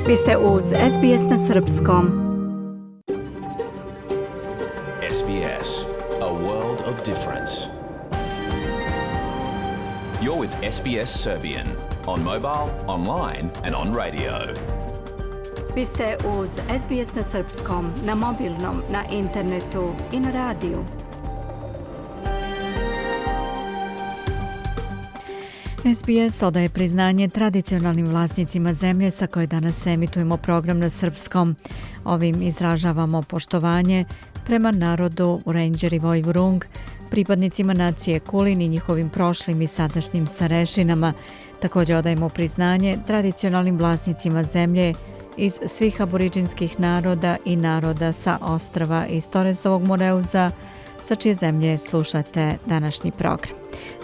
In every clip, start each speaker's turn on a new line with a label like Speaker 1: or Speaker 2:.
Speaker 1: Vi ste uz SBS na srpskom.
Speaker 2: SBS, a world of difference. You're with SBS Serbian on mobile, online and on radio.
Speaker 1: Vi ste uz SBS na srpskom, na mobilnom, na internetu i na radiju. SBS odaje priznanje tradicionalnim vlasnicima zemlje sa koje danas emitujemo program na srpskom. Ovim izražavamo poštovanje prema narodu Wurundjeri i Woiwurrung, pripadnicima nacije Kulin i njihovim prošlim i sadašnjim starešinama. Također odajemo priznanje tradicionalnim vlasnicima zemlje iz svih aboriđinskih naroda i naroda sa ostrva iz Torresovog Moreuza, sa čije zemlje slušate današnji program.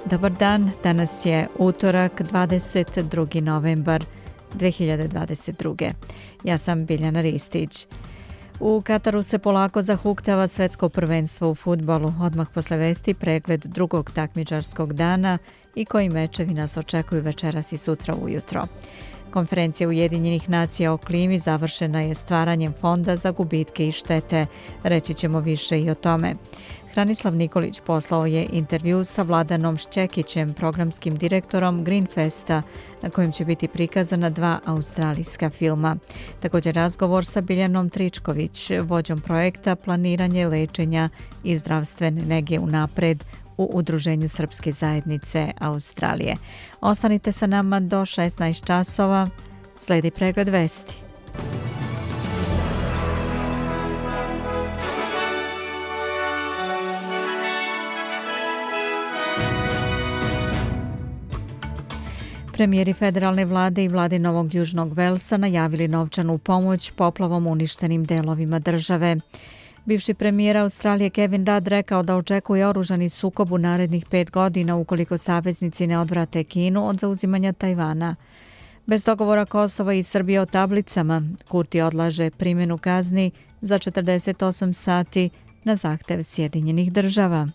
Speaker 1: Dobar dan, danas je utorak 22. novembar 2022. Ja sam Biljana Ristić. U Kataru se polako zahuktava svetsko prvenstvo u fudbalu. Odmah posle vesti pregled drugog takmičarskog dana i koji mečevi nas očekuju večeras i sutra ujutro. Konferencija Ujedinjenih nacija o klimi završena je stvaranjem fonda za gubitke i štete. Reći ćemo više i o tome. Hranislav Nikolić poslao je intervju sa Vladanom Šćekićem, programskim direktorom Greenfesta, na kojem će biti prikazana 2 australijska filma. Također razgovor sa Biljanom Tričković, vođom projekta Planiranje lečenja i zdravstvene nege unapred u Udruženju Srpske zajednice Australije. Ostanite sa nama do 16 časova. Slijedi pregled vesti. Premijeri federalne vlade i vlade Novog Južnog Velsa najavili novčanu pomoć poplavom uništenim delovima države. Bivši premijer Australije Kevin Rudd rekao da očekuje oružani sukob u narednih 5 godina ukoliko saveznici ne odvrate Kinu od zauzimanja Tajvana. Bez dogovora Kosova i Srbije o tablicama, Kurti odlaže primjenu kazni za 48 sati na zahtev Sjedinjenih država.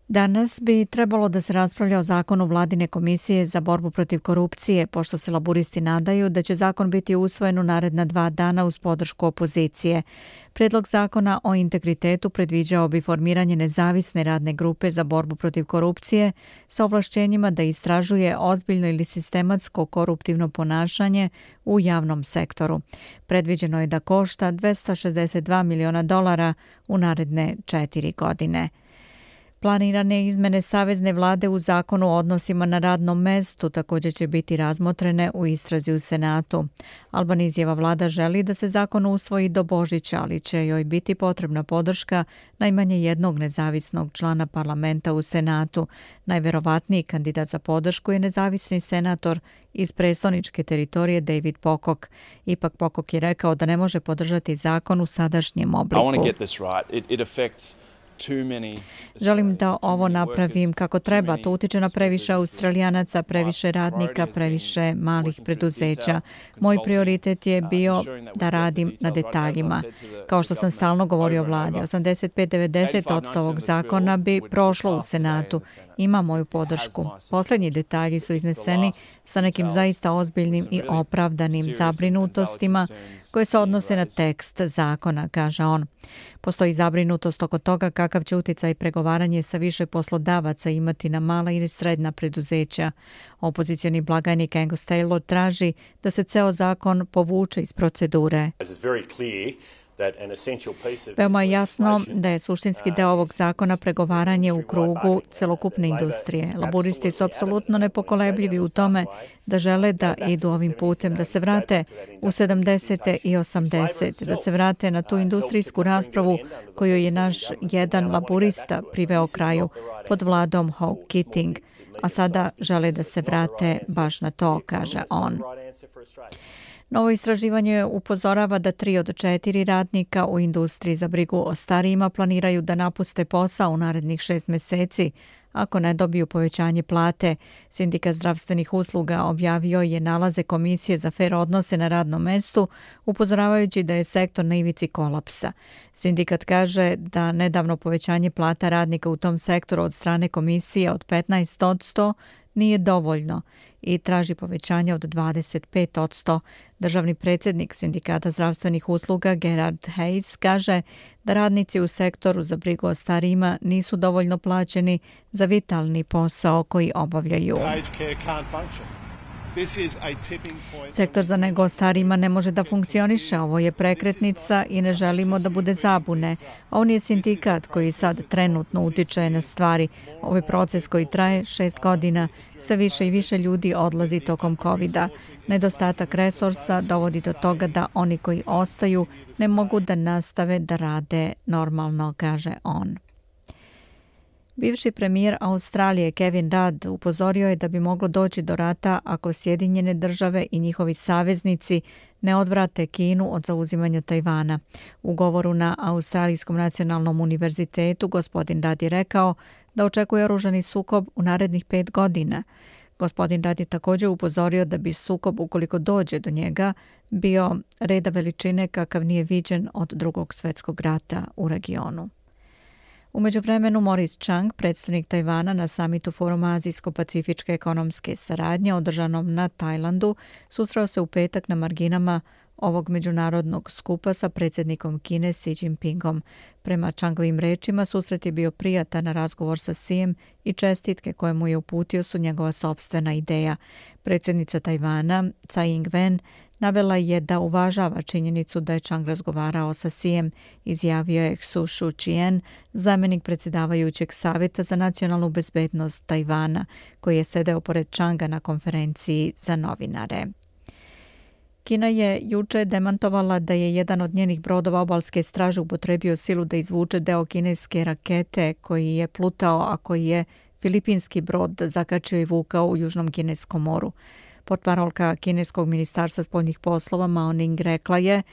Speaker 1: Danas bi trebalo da se raspravlja o zakonu Vladine komisije za borbu protiv korupcije, pošto se laburisti nadaju da će zakon biti usvojen u naredna 2 dana uz podršku opozicije. Prijedlog zakona o integritetu predviđao bi formiranje nezavisne radne grupe za borbu protiv korupcije sa ovlašćenjima da istražuje ozbiljno ili sistematsko koruptivno ponašanje u javnom sektoru. Predviđeno je da košta $262 miliona u naredne 4 godine. Planirane izmene Savezne vlade u zakonu o odnosima na radnom mestu također će biti razmotrene u istrazi u Senatu. Albanizijeva vlada želi da se zakon usvoji do Božića, ali će joj biti potrebna podrška najmanje jednog nezavisnog člana parlamenta u Senatu. Najverovatniji kandidat za podršku je nezavisni senator iz prestoničke teritorije David Pocock. Ipak Pocock je rekao da ne može podržati zakon u sadašnjem obliku. Želim da ovo napravim kako treba. To utiče na previše Australijanaca, previše radnika, previše malih preduzeća. Moj prioritet je bio da radim na detaljima. Kao što sam stalno govorio vladi, 85-90% ovog zakona bi prošlo u Senatu. Ima moju podršku. Posljednji detalji su izneseni sa nekim zaista ozbiljnim i opravdanim zabrinutostima koje se odnose na tekst zakona, kaže on. Postoji zabrinutost oko toga kakav će utjecaj pregovaranje sa više poslodavaca imati na mala ili srednja preduzeća. Opozicioni blagajnik Angus Taylor traži da se ceo zakon povuče iz procedure. Veoma je jasno da je suštinski deo ovog zakona pregovaranje u krugu celokupne industrije. Laburisti su apsolutno nepokolebljivi u tome da žele da idu ovim putem, da se vrate u 70. i 80. da se vrate na tu industrijsku raspravu koju je naš jedan laburista priveo kraju pod vladom Hawke Keating, a sada žele da se vrate baš na to, kaže on. Novo istraživanje upozorava da 3 od 4 radnika u industriji za brigu o starijima planiraju da napuste posao u narednih 6 meseci, ako ne dobiju povećanje plate. Sindikat zdravstvenih usluga objavio je nalaze Komisije za fer odnose na radnom mestu, upozoravajući da je sektor na ivici kolapsa. Sindikat kaže da nedavno povećanje plata radnika u tom sektoru od strane komisije od 15% nije dovoljno i traži povećanje od 25%. Državni predsjednik Sindikata zdravstvenih usluga Gerard Hayes kaže da radnici u sektoru za brigu o starijima nisu dovoljno plaćeni za vitalni posao koji obavljaju. Sektor za nego o starijima ne može da funkcioniše, ovo je prekretnica i ne želimo da bude zabune. Ovo nije sindikat koji sad trenutno utiče na stvari. Ovo je proces koji traje 6 godina. Sve više i više ljudi odlazi tokom COVID-a. Nedostatak resursa dovodi do toga da oni koji ostaju ne mogu da nastave da rade normalno, kaže on. Bivši premijer Australije Kevin Rudd upozorio je da bi moglo doći do rata ako Sjedinjene države i njihovi saveznici ne odvrate Kinu od zauzimanja Tajvana. U govoru na Australijskom nacionalnom univerzitetu gospodin Rudd je rekao da očekuje oružani sukob u narednih 5 godina. Gospodin Rudd je također upozorio da bi sukob, ukoliko dođe do njega, bio reda veličine kakav nije viđen od Drugog svjetskog rata u regionu. U međuvremenu Maurice Chang, predstavnik Tajvana na samitu Foruma Azijsko-pacifičke ekonomske saradnje održanom na Tajlandu, susreo se u petak na marginama ovog međunarodnog skupa sa predsjednikom Kine Xi Jinpingom. Prema Changovim rečima, susret je bio prijatan razgovor sa Xijem i čestitke koje mu je uputio su njegova sopstvena ideja. Predsjednica Tajvana, Tsai Ing-wen, navela je da uvažava činjenicu da je Chang razgovarao sa Xijem, izjavio je Xu Shuqian, zamjenik predsjedavajućeg savjeta za nacionalnu bezbednost Tajvana, koji je sedeo pored Changa na konferenciji za novinare. Kina je juče demantovala da je jedan od njenih brodova obalske straže upotrebio silu da izvuče deo kineske rakete koji je plutao, a koji je filipinski brod zakačio i vukao u Južnom kineskom moru. Portparolka kineskog ministarstva spoljnih poslova Mao Ning rekla je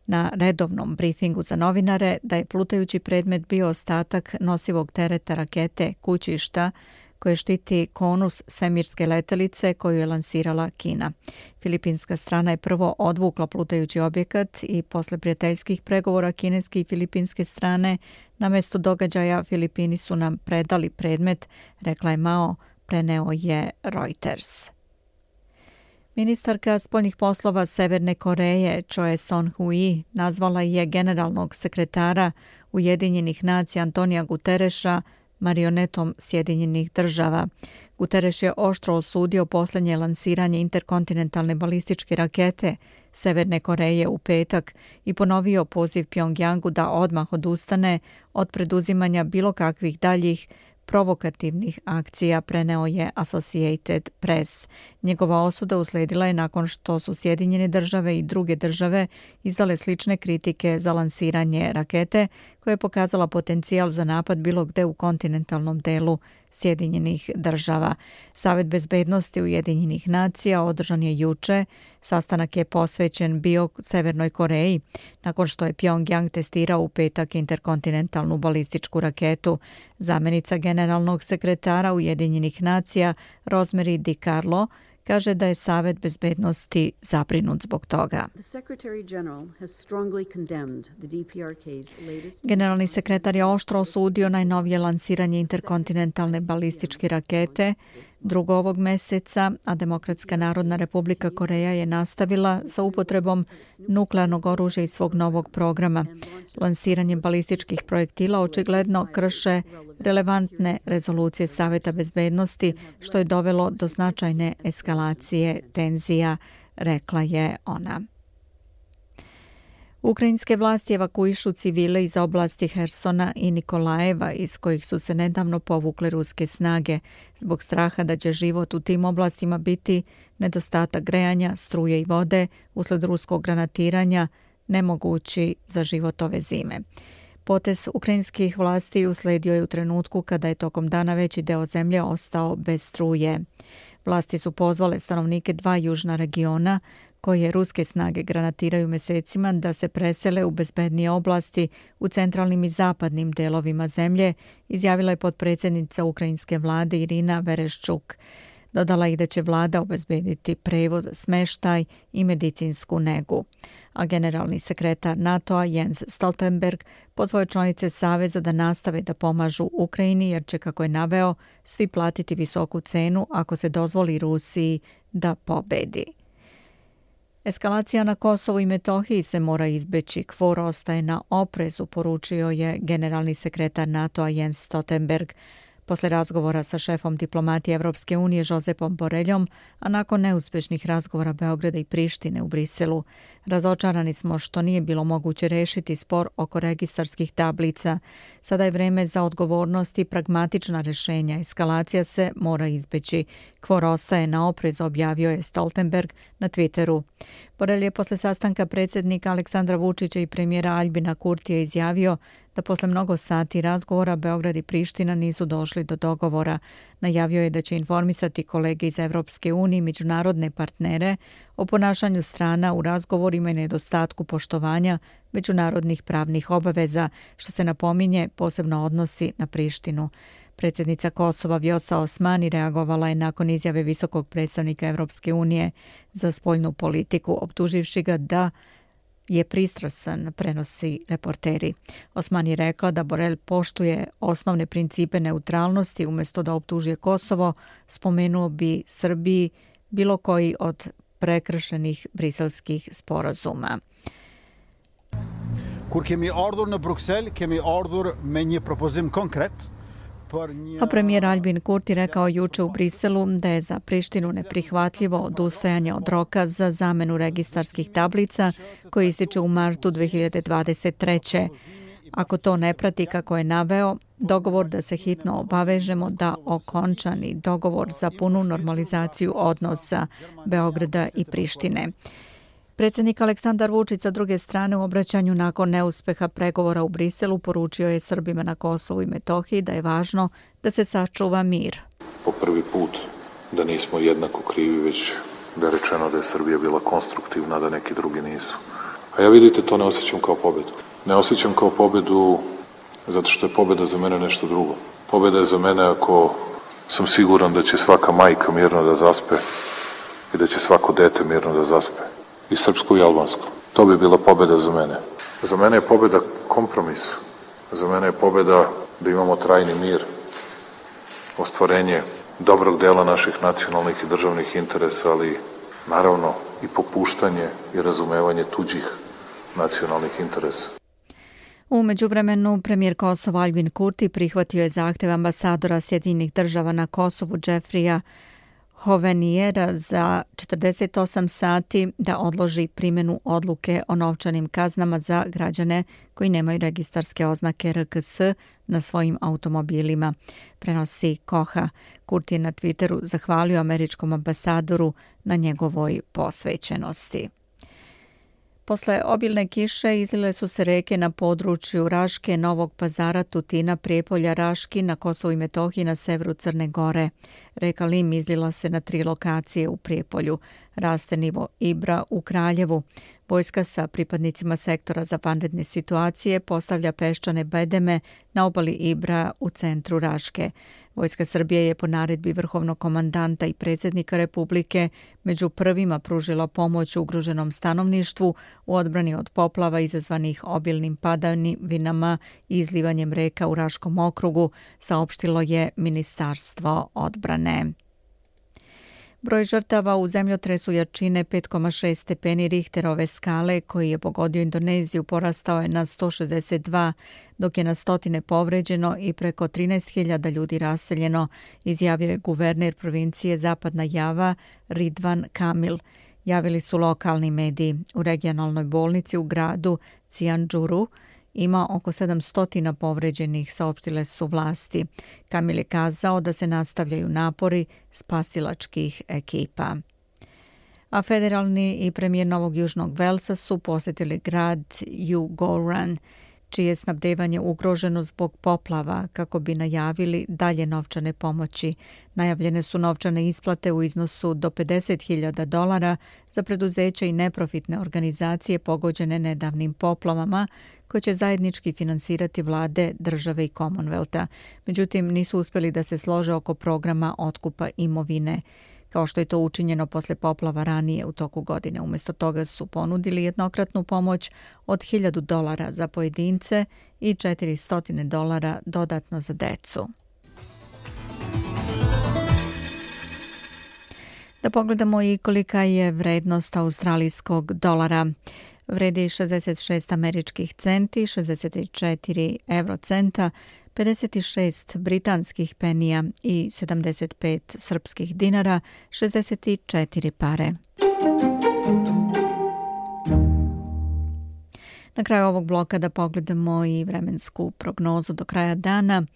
Speaker 1: na redovnom brifingu za novinare da je plutajući predmet bio ostatak nosivog tereta rakete Kućišta koje štiti konus svemirske letelice koju je lansirala Kina. Filipinska strana je prvo odvukla plutajući objekat i posle prijateljskih pregovora kineske i filipinske strane na mjestu događaja Filipini su nam predali predmet, rekla je Mao, preneo je Reuters. Ministarka spoljnih poslova Severne Koreje Choe Son-hui nazvala je generalnog sekretara Ujedinjenih nacija Antonija Gutereša marionetom Sjedinjenih država. Guterres je oštro osudio posljednje lansiranje interkontinentalne balističke rakete Severne Koreje u petak i ponovio poziv Pjongjangu da odmah odustane od preduzimanja bilo kakvih daljih provokativnih akcija, preneo je Associated Press. Njegova osuda usledila je nakon što su Sjedinjene države i druge države izdale slične kritike za lansiranje rakete koja je pokazala potencijal za napad bilo gde u kontinentalnom delu Sjedinjenih država. Savet bezbednosti Ujedinjenih nacija održan je juče. Sastanak je posvećen bio Severnoj Koreji nakon što je Pjongjang testirao u petak interkontinentalnu balističku raketu. Zamjenica generalnog sekretara Ujedinjenih nacija Rosemary DiCarlo kaže da je Savet bezbednosti zabrinut zbog toga. Generalni sekretar je oštro osudio najnovije lansiranje interkontinentalne balističke rakete 2. ovog meseca, a Demokratska narodna republika Koreja je nastavila sa upotrebom nuklearnog oružja iz svog novog programa. Lansiranje balističkih projektila očigledno krše relevantne rezolucije Saveta bezbednosti, što je dovelo do značajne eskalacije tenzija, rekla je ona. Ukrajinske vlasti evakuišu civile iz oblasti Hersona i Nikolajeva, iz kojih su se nedavno povukle ruske snage, zbog straha da će život u tim oblastima biti nedostatak grejanja, struje i vode usled ruskog granatiranja, nemogući za život ove zime. Potez ukrajinskih vlasti usledio je u trenutku kada je tokom dana veći deo zemlje ostao bez struje. Vlasti su pozvale stanovnike 2 južna regiona koje ruske snage granatiraju mesecima da se presele u bezbednije oblasti u centralnim i zapadnim delovima zemlje, izjavila je potpredsjednica ukrajinske vlade Irina Vereshchuk. Dodala i da će vlada obezbediti prevoz, smeštaj i medicinsku negu. A generalni sekretar NATO-a Jens Stoltenberg pozvao je članice Saveza da nastave da pomažu Ukrajini jer će, kako je naveo, svi platiti visoku cenu ako se dozvoli Rusiji da pobedi. Eskalacija na Kosovu i Metohiji se mora izbeći. KFOR ostaje na oprezu, poručio je generalni sekretar NATO-a Jens Stoltenberg. Posle razgovora sa šefom diplomatije Evropske unije Josepom Borreljom, a nakon neuspešnih razgovora Beograda i Prištine u Briselu, razočarani smo što nije bilo moguće rešiti spor oko registarskih tablica. Sada je vreme za odgovornost i pragmatična rešenja. Eskalacija se mora izbeći. KFOR ostaje na oprezu, objavio je Stoltenberg na Twitteru. Borrelj je posle sastanka predsjednika Aleksandra Vučića i premijera Aljbina Kurtija izjavio da posle mnogo sati razgovora Beograd i Priština nisu došli do dogovora. Najavio je da će informisati kolege iz Evropske unije i međunarodne partnere o ponašanju strana u razgovorima i nedostatku poštovanja međunarodnih pravnih obaveza, što se napominje posebno odnosi na Prištinu. Predsjednica Kosova Vjosa Osmani reagovala je nakon izjave visokog predstavnika Evropske unije za spoljnu politiku, optuživši ga da je pristrasan, prenosi reporteri. Osman je rekla da Borrell poštuje osnovne principe neutralnosti, umjesto da optužuje Kosovo, spomenuo bi Srbiji bilo koji od prekršenih briselskih sporazuma.
Speaker 3: Kur kemi ardhur në Bruksel, kemi ardhur me një propozim konkret.
Speaker 1: A premijer Aljbin Kurti rekao juče u Briselu da je za Prištinu neprihvatljivo odustajanje od roka za zamenu registarskih tablica koji ističe u martu 2023. Ako to ne prati, kako je naveo, dogovor da se hitno obavežemo da okončani dogovor za punu normalizaciju odnosa Beograda i Prištine. Predsjednik Aleksandar Vučić sa druge strane u obraćanju nakon neuspeha pregovora u Briselu poručio je Srbima na Kosovu i Metohiji da je važno da se sačuva mir.
Speaker 4: Po prvi put da nismo jednako krivi, već da je rečeno da je Srbija bila konstruktivna, da neki drugi nisu. A ja, vidite, to ne osjećam kao pobedu. Ne osjećam kao pobedu zato što je pobeda za mene nešto drugo. Pobeda je za mene ako sam siguran da će svaka majka mirno da zaspe i da će svako dete mirno da zaspe. I srpsko i albansko. To bi bila pobeda za mene. Za mene je pobeda kompromis. Za mene je pobeda da imamo trajni mir, ostvarenje dobrog dela naših nacionalnih i državnih interesa, ali naravno i popuštanje i razumevanje tuđih nacionalnih interesa.
Speaker 1: U međuvremenu, premijer Kosova Aljbin Kurti prihvatio je zahtev ambasadora Sjedinjenih država na Kosovu Jeffreya Hovenijera za 48 sati da odloži primjenu odluke o novčanim kaznama za građane koji nemaju registarske oznake RKS na svojim automobilima, prenosi Koha. Kurti je na Twitteru zahvalio američkom ambasadoru na njegovoj posvećenosti. Posle obilne kiše izlile su se reke na području Raške, Novog Pazara, Tutina, Prijepolja, Raški, na Kosovu i Metohiji, na severu Crne Gore. Reka Lim izlila se na 3 lokacije u Prijepolju. Raste nivo Ibra u Kraljevu. Vojska sa pripadnicima sektora za vanredne situacije postavlja peščane bedeme na obali Ibra u centru Raške. Vojska Srbije je po naredbi vrhovnog komandanta i predsjednika Republike među prvima pružila pomoć ugroženom stanovništvu u odbrani od poplava izazvanih obilnim padavinama i izlivanjem reka u Raškom okrugu, saopštilo je Ministarstvo odbrane. Broj žrtava u zemljotresu jačine 5,6 stepeni Richterove skale koji je pogodio Indoneziju porastao je na 162, dok je na stotine povređeno i preko 13.000 ljudi raseljeno, izjavio je guverner provincije Zapadna Java Ridvan Kamil. Javili su lokalni mediji. U regionalnoj bolnici u gradu Cianjuru ima oko 700 povređenih, saopštile su vlasti. Kamil je kazao da se nastavljaju napori spasilačkih ekipa. A federalni i premijer Novog Južnog Velsa su posjetili grad Eugowran. čije je snabdevanje ugroženo zbog poplava, kako bi najavili dalje novčane pomoći. Najavljene su novčane isplate u iznosu do $50.000 za preduzeća i neprofitne organizacije pogođene nedavnim poplavama, koje će zajednički finansirati vlade, države i Commonwealtha. Međutim, nisu uspjeli da se slože oko programa otkupa imovine, kao što je to učinjeno posle poplava ranije u toku godine. Umjesto toga su ponudili jednokratnu pomoć od $1.000 za pojedince i $400 dodatno za decu. Da pogledamo i kolika je vrednost australijskog dolara. Vredi 66 američkih centi, 64 eurocenta, 56 britanskih penija i 75 srpskih dinara, 64 pare. Na kraju ovog bloka da pogledamo i vremensku prognozu do kraja dana.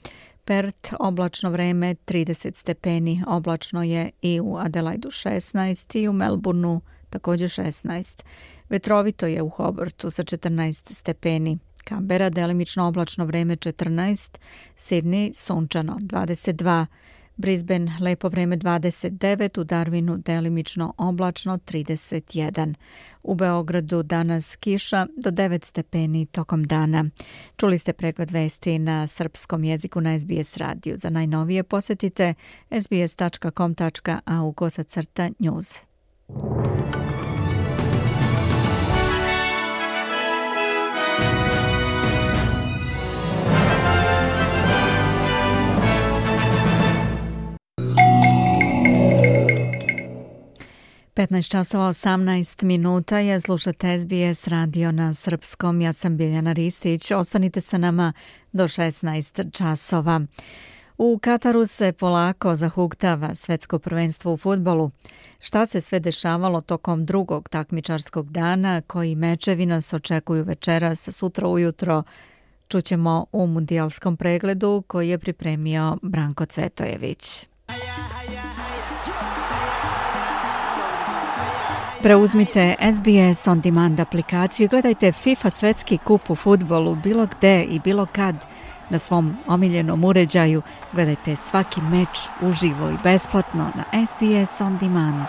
Speaker 1: Perth, oblačno vreme, 30 stepeni. Oblačno je i u Adelaidu 16 i u Melbourneu također 16. Vetrovito je u Hobartu sa 14 stepeni. Canberra, delimično oblačno vreme 14, Sydney sunčano 22, Brisbane lepo vreme 29, u Darwinu delimično oblačno 31. U Beogradu danas kiša do 9 stepeni tokom dana. Čuli ste pregled vesti na srpskom jeziku na SBS radiju. Za najnovije posjetite sbs.com.au/news. časova 18 minuta je, slušate SBS radio na srpskom. Ja sam Biljana Ristić. Ostanite sa nama do 16 časova. U Kataru se polako zahuktava svetsko prvenstvo u fudbalu. Šta se sve dešavalo tokom drugog takmičarskog dana, koji mečevi nas očekuju večeras, sutra ujutro, čućemo u mundijalskom pregledu koji je pripremio Branko Cvetojević. Preuzmite SBS On Demand aplikaciju, gledajte FIFA svetski kup u fudbalu bilo gde i bilo kad na svom omiljenom uređaju. Gledajte svaki meč uživo i besplatno na SBS On Demand.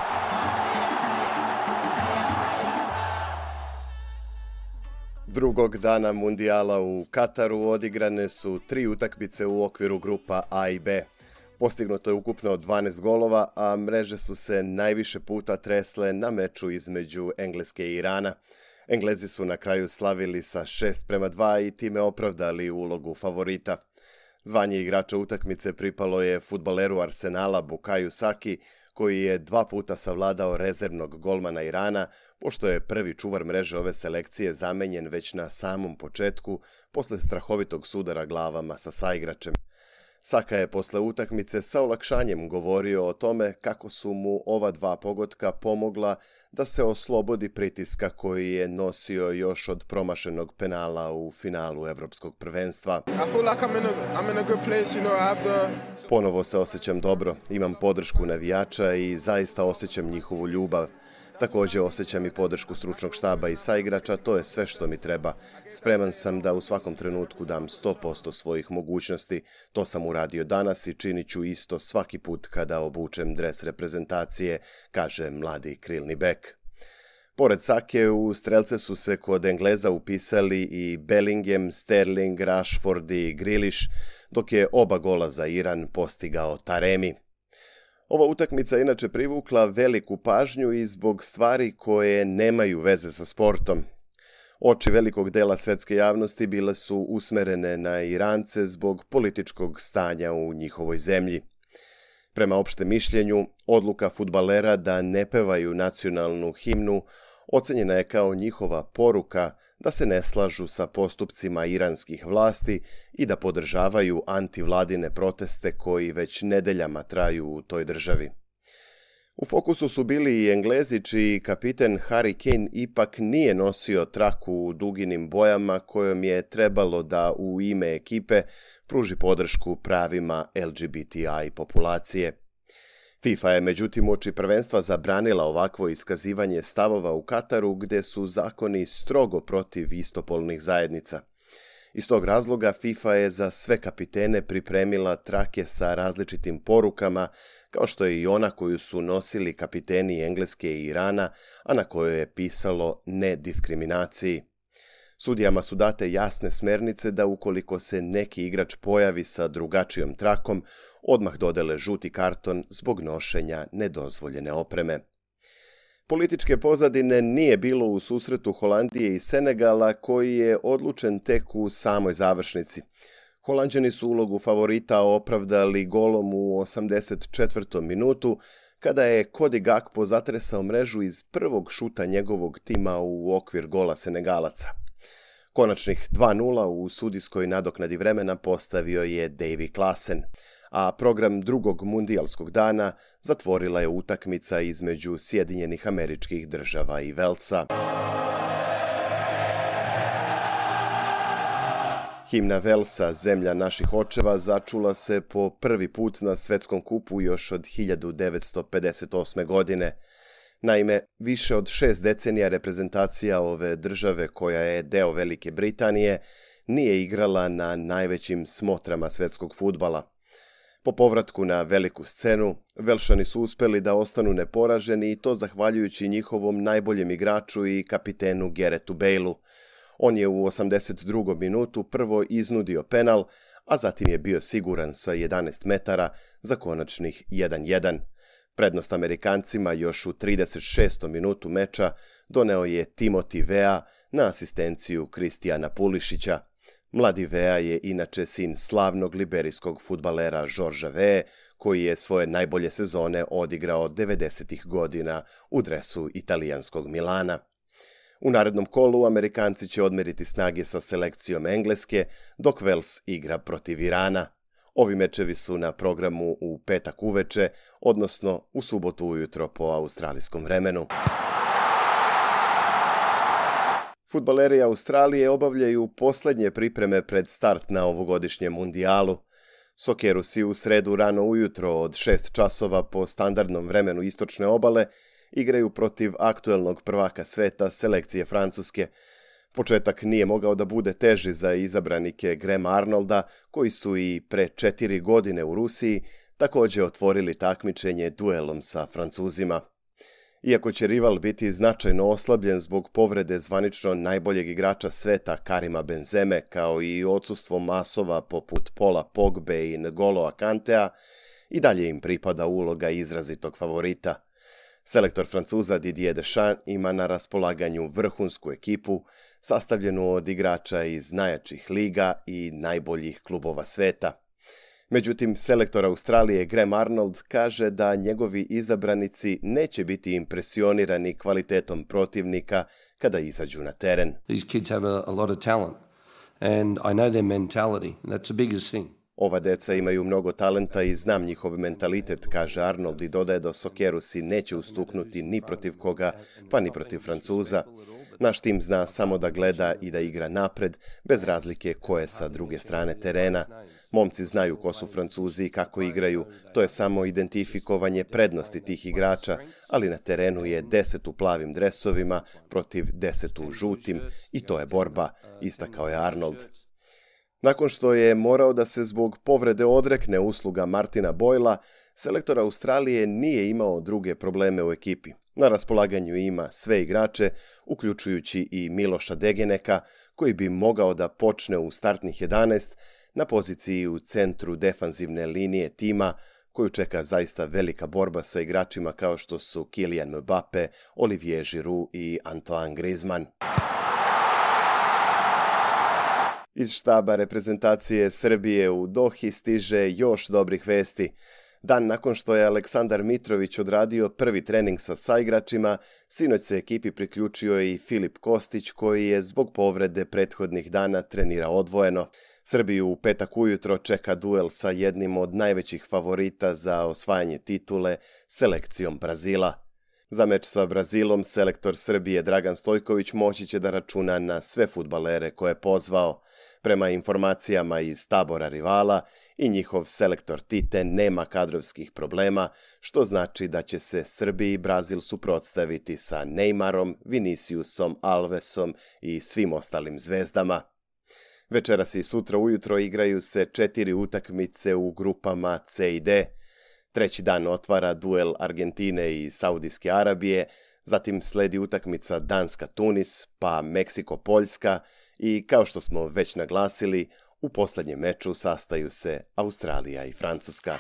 Speaker 5: Drugog dana mundijala u Kataru odigrane su 3 utakmice u okviru grupa A i B. Postignuto je ukupno 12 golova, a mreže su se najviše puta tresle na meču između Engleske i Irana. Englezi su na kraju slavili sa 6:2 i time opravdali ulogu favorita. Zvanje igrača utakmice pripalo je fudbaleru Arsenala Bukaju Saki, koji je 2 puta savladao rezervnog golmana Irana, pošto je prvi čuvar mreže ove selekcije zamenjen već na samom početku, posle strahovitog sudara glavama sa saigračem. Saka je posle utakmice sa olakšanjem govorio o tome kako su mu ova 2 pogotka pomogla da se oslobodi pritiska koji je nosio još od promašenog penala u finalu Evropskog prvenstva. Ponovo se osjećam dobro, imam podršku navijača i zaista osjećam njihovu ljubav. Također osjećam i podršku stručnog štaba i saigrača, to je sve što mi treba. Spreman sam da u svakom trenutku dam 100% svojih mogućnosti. To sam uradio danas i činit ću isto svaki put kada obučem dres reprezentacije, kaže mladi krilni bek. Pored Sake, u strelce su se kod Engleza upisali i Bellingham, Sterling, Rashford i Grealish, dok je oba gola za Iran postigao Taremi. Ova utakmica inače privukla veliku pažnju i zbog stvari koje nemaju veze sa sportom. Oči velikog dela svetske javnosti bile su usmerene na Irance zbog političkog stanja u njihovoj zemlji. Prema opštem mišljenju, odluka fudbalera da ne pevaju nacionalnu himnu ocenjena je kao njihova poruka da se ne slažu sa postupcima iranskih vlasti i da podržavaju antivladine proteste koji već nedeljama traju u toj državi. U fokusu su bili i Englezi, čiji kapiten Harry Kane ipak nije nosio traku u duginim bojama kojom je trebalo da u ime ekipe pruži podršku pravima LGBTI populacije. FIFA je međutim uoči prvenstva zabranila ovakvo iskazivanje stavova u Kataru, gde su zakoni strogo protiv istopolnih zajednica. Iz tog razloga FIFA je za sve kapitene pripremila trake sa različitim porukama, kao što je i ona koju su nosili kapiteni Engleske i Irana, a na kojoj je pisalo ne diskriminaciji. Sudijama su date jasne smernice da ukoliko se neki igrač pojavi sa drugačijom trakom, odmah dodele žuti karton zbog nošenja nedozvoljene opreme. Političke pozadine nije bilo u susretu Holandije i Senegala, koji je odlučen tek u samoj završnici. Holanđani su ulogu favorita opravdali golom u 84. minutu, kada je Cody Gakpo zatresao mrežu iz prvog šuta njegovog tima u okvir gola Senegalaca. Konačnih 2:0 u sudijskoj nadoknadi vremena postavio je Davy Klaassen, a program drugog mundijalskog dana zatvorila je utakmica između Sjedinjenih Američkih Država i Velsa. Himna Velsa, zemlja naših očeva, začula se po prvi put na svetskom kupu još od 1958. godine. Naime, više od 6 decenija reprezentacija ove države, koja je deo Velike Britanije, nije igrala na najvećim smotrama svetskog fudbala. Po povratku na veliku scenu, Velšani su uspeli da ostanu neporaženi, i to zahvaljujući njihovom najboljem igraču i kapitenu Garethu Baleu. On je u 82. minutu prvo iznudio penal, a zatim je bio siguran sa 11 metara za konačnih 1:1. Prednost Amerikancima još u 36. minutu meča doneo je Timothy Weah na asistenciju Kristijana Pulišića. Mladi Weah je inače sin slavnog liberijskog fudbalera Georgea Weah, koji je svoje najbolje sezone odigrao 90. godina u dresu italijanskog Milana. U narednom kolu Amerikanci će odmeriti snage sa selekcijom Engleske, dok Wales igra protiv Irana. Ovi mečevi su na programu u petak uveče, odnosno u subotu ujutro po australijskom vremenu. Fudbaleri Australije obavljaju poslednje pripreme pred start na ovogodišnjem mundijalu. Sokerusi u sredu rano ujutro od 6 časova po standardnom vremenu istočne obale igraju protiv aktuelnog prvaka sveta, selekcije Francuske. Početak nije mogao da bude teži za izabranike Grahama Arnolda, koji su i pre 4 godine u Rusiji također otvorili takmičenje duelom sa Francuzima. Iako će rival biti značajno oslabljen zbog povrede zvanično najboljeg igrača sveta Karima Benzeme, kao i odsustvo masova poput Paula Pogbe i N'Golo Kantea, i dalje im pripada uloga izrazitog favorita. Selektor Francuza Didier Deschamps ima na raspolaganju vrhunsku ekipu, sastavljenu od igrača iz najjačih liga i najboljih klubova sveta. Međutim, selektor Australije Graham Arnold kaže da njegovi izabranici neće biti impresionirani kvalitetom protivnika kada izađu na teren.
Speaker 6: These kids have a lot of talent and I know their mentality. That's the biggest thing.
Speaker 5: Ova deca imaju mnogo talenta i znam njihov mentalitet, kaže Arnold, i dodaje da Sokerusi neće ustuknuti ni protiv koga, pa ni protiv Francuza. Naš tim zna samo da gleda i da igra napred, bez razlike ko je sa druge strane terena. Momci znaju ko su Francuzi i kako igraju, to je samo identifikovanje prednosti tih igrača, ali na terenu je 10 u plavim dresovima protiv 10 u žutim, i to je borba, istakao je Arnold. Nakon što je morao da se zbog povrede odrekne usluga Martina Boyla, selektor Australije nije imao druge probleme u ekipi. Na raspolaganju ima sve igrače, uključujući i Miloša Degeneka, koji bi mogao da počne u startnih 11 na poziciji u centru defanzivne linije tima, koju čeka zaista velika borba sa igračima kao što su Kylian Mbappe, Olivier Giroud i Antoine Griezmann. Iz štaba reprezentacije Srbije u Dohi stiže još dobrih vesti. Dan nakon što je Aleksandar Mitrović odradio prvi trening sa saigračima, sinoć se ekipi priključio i Filip Kostić, koji je zbog povrede prethodnih dana trenirao odvojeno. Srbiju u petak ujutro čeka duel sa jednim od najvećih favorita za osvajanje titule, selekcijom Brazila. Za meč sa Brazilom selektor Srbije Dragan Stojković moći će da računa na sve fudbalere koje je pozvao. Prema informacijama iz tabora rivala, i njihov selektor Tite nema kadrovskih problema, što znači da će se Srbiji i Brazil suprotstaviti sa Neymarom, Viniciusom, Alvesom i svim ostalim zvezdama. Večeras i sutra ujutro igraju se 4 utakmice u grupama C i D. Treći dan otvara duel Argentine i Saudijske Arabije, zatim sledi utakmica Danska-Tunis, pa Meksiko-Poljska i, kao što smo već naglasili, u posljednjem meču sastaju se Australija i Francuska.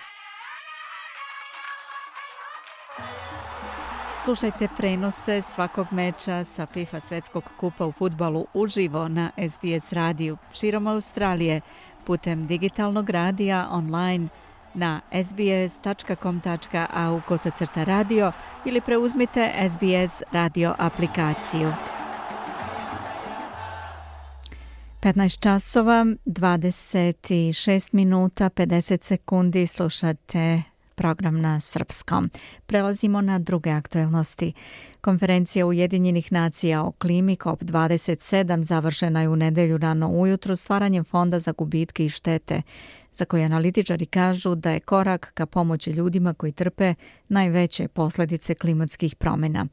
Speaker 1: Slušajte prenose svakog meča sa FIFA svetskog kupa u fudbalu uživo na SBS radiju širom Australije putem digitalnog radija online na sbs.com.au/radio ili preuzmite SBS radio aplikaciju. 15 časova, 26 minuta, 50 sekundi slušate program na srpskom. Prelazimo na druge aktuelnosti. Konferencija Ujedinjenih nacija o klimi COP27 završena je u nedelju rano ujutru stvaranjem fonda za gubitke i štete, za koje analitičari kažu da je korak ka pomoći ljudima koji trpe najveće posljedice klimatskih promjena.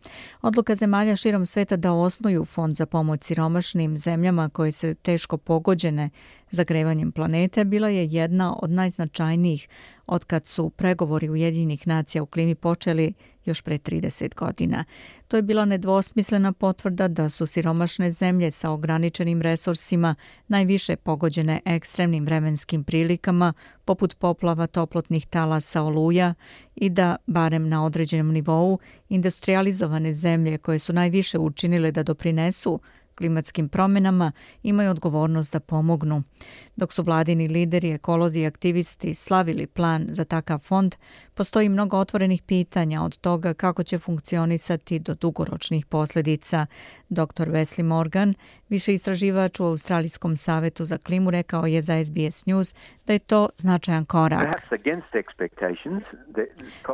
Speaker 1: Odluka zemalja širom sveta da osnuju fond za pomoć siromašnim zemljama koje se teško pogođene zagrevanjem planete bila je jedna od najznačajnijih otkad su pregovori Ujedinjenih nacija u klimi počeli još pre 30 godina. To je bila nedvosmislena potvrda da su siromašne zemlje sa ograničenim resursima najviše pogođene ekstremnim vremenskim prilikama poput poplava, toplotnih talasa, oluja i da, barem na određenom nivou, industrializovane zemlje koje su najviše učinile da doprinesu klimatskim promjenama imaju odgovornost da pomognu. Dok su vladini lideri, ekolozi i aktivisti slavili plan za takav fond, postoji mnogo otvorenih pitanja od toga kako će funkcionisati do dugoročnih posljedica. Dr. Wesley Morgan, viši istraživač u Australijskom savetu za klimu, rekao je za SBS News da je to značajan korak.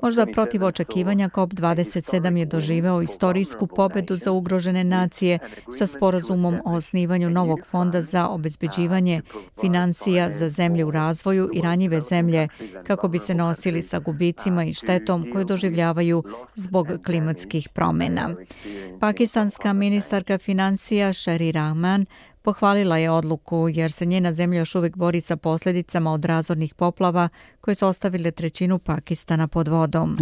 Speaker 1: Možda protiv očekivanja COP27 je doživeo istorijsku pobedu za ugrožene nacije sa sporazumom o osnivanju novog fonda za obezbeđivanje financija za zemlje u razvoju i ranjive zemlje kako bi se nosili sa gubicima i štetom koju doživljavaju zbog klimatskih promjena. Pakistanska ministarka financija Sherry Rahman pohvalila je odluku jer se njena zemlja još uvijek bori sa posljedicama od razornih poplava koje su ostavile trećinu Pakistana pod vodom.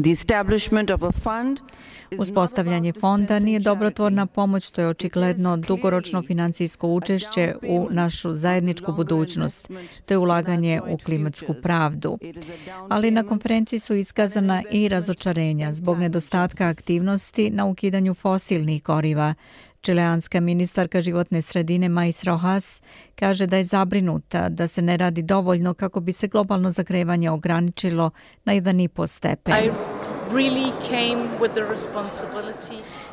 Speaker 1: Uspostavljanje fonda nije dobrotvorna pomoć, to je očigledno dugoročno financijsko učešće u našu zajedničku budućnost. To je ulaganje u klimatsku pravdu. Ali na konferenciji su iskazana i razočarenja zbog nedostatka aktivnosti na ukidanju fosilnih goriva. Čileanska ministarka životne sredine Mais Rojas kaže da je zabrinuta da se ne radi dovoljno kako bi se globalno zagrevanje ograničilo na 1,5 stepen.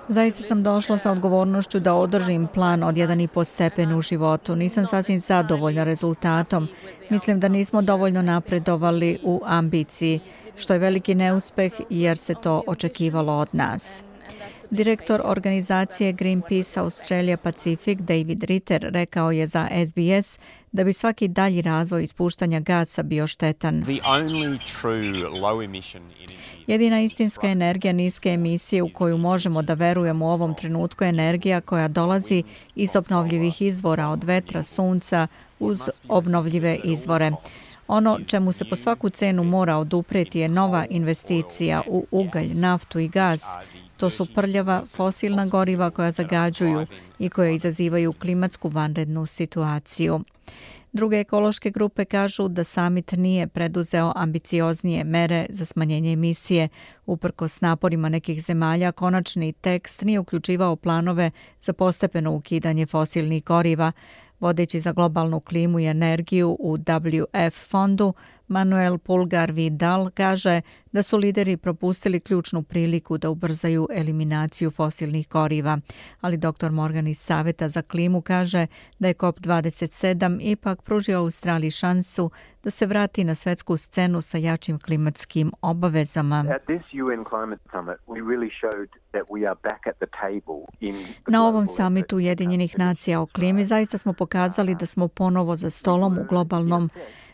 Speaker 1: Zaista sam došla sa odgovornošću da održim plan od 1,5 stepen u životu. Nisam sasvim zadovoljna rezultatom. Mislim da nismo dovoljno napredovali u ambiciji, što je veliki neuspeh jer se to očekivalo od nas. Direktor organizacije Greenpeace Australia Pacific David Ritter rekao je za SBS da bi svaki dalji razvoj ispuštanja gasa bio štetan. Jedina istinska energija niske emisije u koju možemo da verujemo u ovom trenutku je energija koja dolazi iz obnovljivih izvora od vetra, sunca uz obnovljive izvore. Ono čemu se po svaku cenu mora odupreti je nova investicija u ugalj, naftu i gas. To su prljava fosilna goriva koja zagađuju i koje izazivaju klimatsku vanrednu situaciju. Druge ekološke grupe kažu da samit nije preduzeo ambicioznije mere za smanjenje emisije. Uprkos naporima nekih zemalja, konačni tekst nije uključivao planove za postepeno ukidanje fosilnih goriva. Vodeći za globalnu klimu i energiju u WF fondu, Manuel Pulgar Vidal kaže da su lideri propustili ključnu priliku da ubrzaju eliminaciju fosilnih goriva. Ali dr. Morgan iz Saveta za klimu kaže da je COP27 ipak pružio Australiji šansu da se vrati na svetsku scenu sa jačim klimatskim obavezama. Na ovom samitu Ujedinjenih nacija o klimi zaista smo pokazali da smo ponovo za stolom u globalnom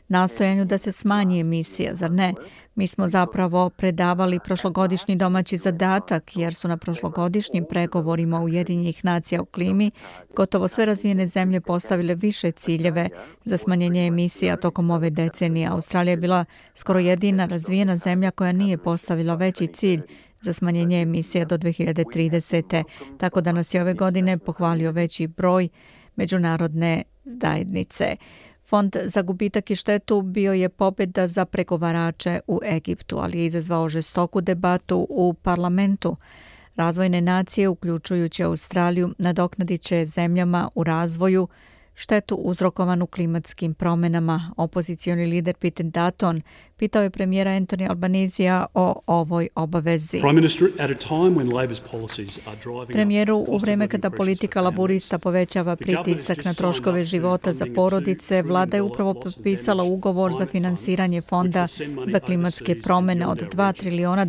Speaker 1: nastojanju da se smanji emisija, zar ne? Mi smo zapravo predavali prošlogodišnji domaći zadatak jer su na prošlogodišnjim pregovorima Ujedinjenih nacija o klimi gotovo sve razvijene zemlje postavile više ciljeve za smanjenje emisija tokom ove decenije. Australija je bila skoro jedina razvijena zemlja koja nije postavila veći cilj za smanjenje emisija do 2030. Tako da nas je ove godine pohvalio veći broj međunarodne zajednice. Fond za gubitak i štetu bio je pobjeda za pregovarače u Egiptu, ali je izazvao žestoku debatu u parlamentu. Razvojne nacije, uključujući Australiju, nadoknadit će zemljama u razvoju štetu uzrokovanu klimatskim promjenama. Opozicioni lider Peter Dutton pitao je premijera Anthony Albanesija o ovoj obavezi. Premijeru, u vrijeme kada politika laburista povećava pritisak na troškove života za porodice, vlada je upravo potpisala ugovor za finansiranje fonda za klimatske promjene od $2 trilijona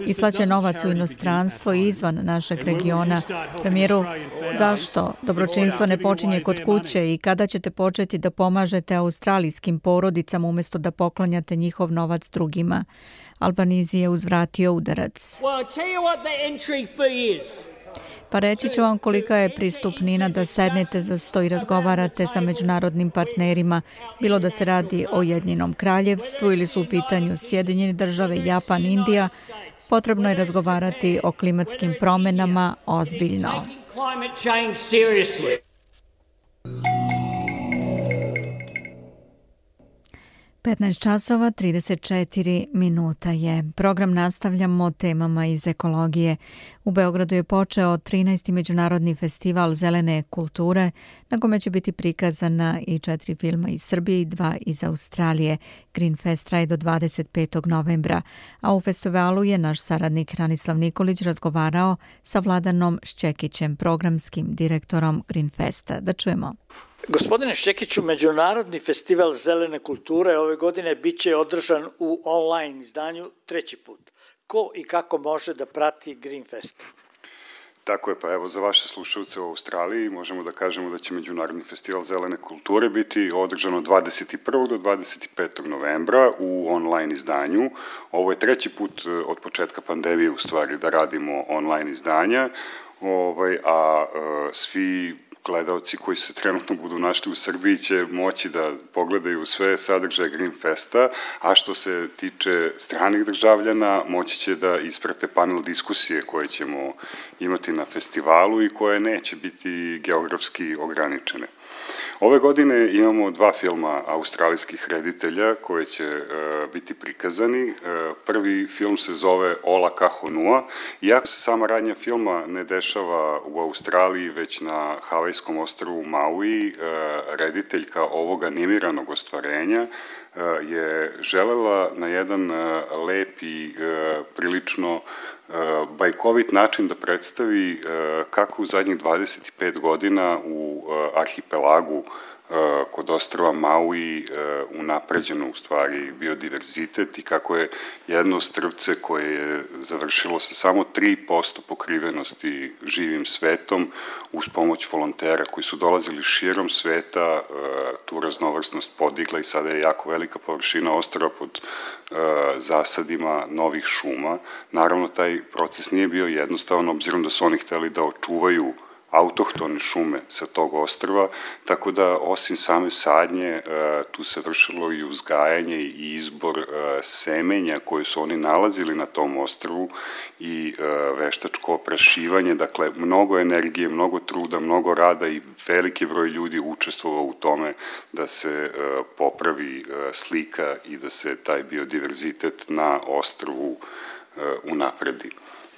Speaker 1: i slaće novac u inostranstvo i izvan našeg regiona. Premijeru, zašto dobročinstvo ne počinje kod kuće i kada ćete početi da pomažete australijskim porodicama umjesto da poklanjate njihov novac drugima? Albanese je uzvratio udarac. Pa reći ću vam kolika je pristupnina da sednete za sto i razgovarate sa međunarodnim partnerima, bilo da se radi o Ujedinjenom kraljevstvu ili su u pitanju Sjedinjene države, Japan, Indija. Potrebno je razgovarati o klimatskim promjenama ozbiljno. 15 časova 34 minuta je. Program nastavljamo temama iz ekologije. U Beogradu je počeo 13. međunarodni festival zelene kulture, na kome će biti prikazana i 4 filma iz Srbije i 2 iz Australije. Green Fest traje do 25. novembra, a u festivalu je naš saradnik Ranislav Nikolić razgovarao sa Vladanom Šćekićem, programskim direktorom Green Festa. Da čujemo.
Speaker 7: Gospodine Šćekiću, Međunarodni festival zelene kulture ove godine biće održan u online izdanju 3. put. Ko i kako može da prati Green Fest?
Speaker 8: Tako je, pa evo za vaše slušalce u Australiji možemo da kažemo da će Međunarodni festival zelene kulture biti održan od 21. do 25. novembra u online izdanju. Ovo je 3. put od početka pandemije u stvari da radimo online izdanja, a svi gledaoci koji se trenutno budu našli u Srbiji će moći da pogledaju sve sadržaje Green Festa, a što se tiče stranih državljana, moći će da isprate panel diskusije koje ćemo imati na festivalu i koje neće biti geografski ograničene. Ove godine imamo 2 filma australijskih reditelja koje će biti prikazani. Prvi film se zove Ola Kahonua. Iako se sama radnja filma ne dešava u Australiji, već na havajskom ostrvu Maui, rediteljka ovog animiranog ostvarenja je želela na jedan lep i prilično bajkovit način da predstavi kako u zadnjih 25 godina u arhipelagu kod ostrva Maui unapređeno u stvari biodiverzitet i kako je jedno strvce koje je završilo sa samo 3% pokrivenosti živim svetom uz pomoć volontera koji su dolazili širom sveta, tu raznovrsnost podigla i sada je jako velika površina ostrva pod zasadima novih šuma. Naravno, taj proces nije bio jednostavan, obzirom da su oni hteli da očuvaju autohtone šume sa tog ostrva, tako da osim same sadnje tu se vršilo i uzgajanje i izbor semenja koje su oni nalazili na tom ostrvu i veštačko oprašivanje, dakle mnogo energije, mnogo truda, mnogo rada i veliki broj ljudi učestvovao u tome da se popravi slika i da se taj biodiverzitet na ostrvu unapredi.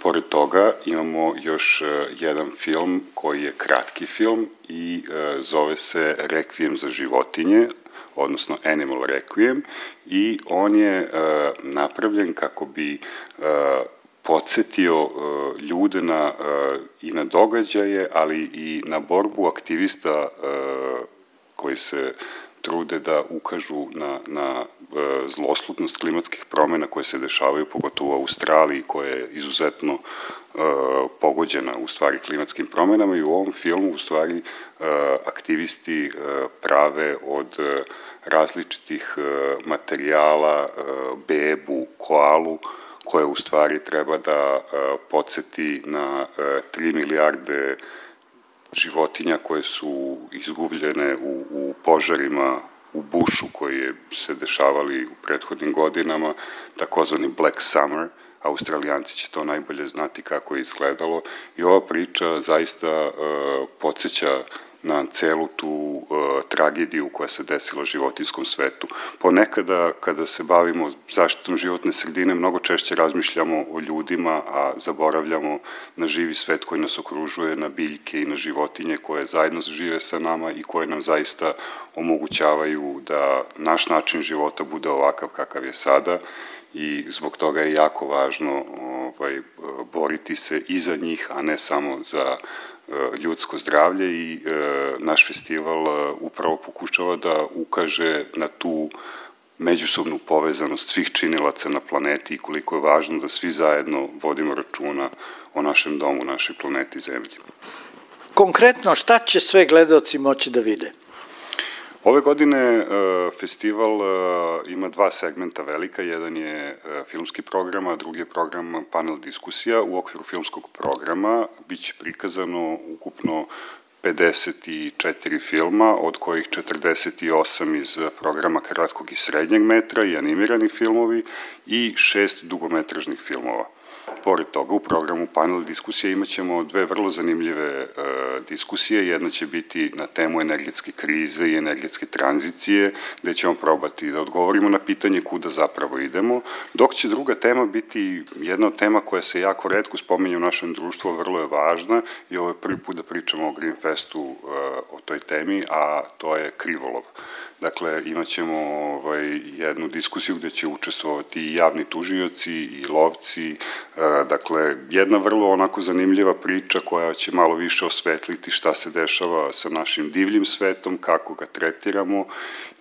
Speaker 8: Pored toga imamo još jedan film koji je kratki film i zove se Requiem za životinje, odnosno Animal Requiem, i on je napravljen kako bi podsjetio ljude i na događaje, ali i na borbu aktivista koji se trude da ukažu na zloslutnost klimatskih promjena koje se dešavaju, pogotovo u Australiji, koja je izuzetno pogođena u stvari klimatskim promjenama, i u ovom filmu u stvari aktivisti prave od različitih materijala bebu, koalu, koja u stvari treba da podsjeti na 3 milijarde životinja koje su izgubljene u požarima u bušu koji se dešavali u prethodnim godinama, takozvani Black Summer. Australijanci će to najbolje znati kako je izgledalo, i ova priča zaista podsjeća na celu tu tragediju koja se desila životinjskom svetu. Ponekada, kada se bavimo zaštitom životne sredine, mnogo češće razmišljamo o ljudima, a zaboravljamo na živi svet koji nas okružuje, na biljke i na životinje koje zajedno žive sa nama i koje nam zaista omogućavaju da naš način života bude ovakav kakav je sada, i zbog toga je jako važno boriti se i za njih, a ne samo za ljudsko zdravlje, i naš festival upravo pokušava da ukaže na tu međusobnu povezanost svih činilaca na planeti i koliko je važno da svi zajedno vodimo računa o našem domu, našoj planeti Zemlji.
Speaker 7: Konkretno, šta će sve gledaoci moći da vide?
Speaker 8: Ove godine festival ima 2 segmenta velika, jedan je filmski program, a drugi je program panel diskusija. U okviru filmskog programa biće prikazano ukupno 54 filma, od kojih 48 iz programa kratkog i srednjeg metra i animirani filmovi i 6 dugometražnih filmova. Pored toga, u programu panel diskusije imat ćemo 2 vrlo zanimljive diskusije. Jedna će biti na temu energetske krize i energetske tranzicije, gde ćemo probati da odgovorimo na pitanje kuda zapravo idemo, dok će druga tema biti jedna od tema koja se jako retko spominje u našem društvu, vrlo je važna, i ovo je prvi put da pričamo o Green Festu o toj temi, a to je krivolov. Dakle, imat ćemo jednu diskusiju gde će učestvovati i javni tužioci i lovci, dakle, jedna vrlo onako zanimljiva priča koja će malo više osvetliti šta se dešava sa našim divljim svetom, kako ga tretiramo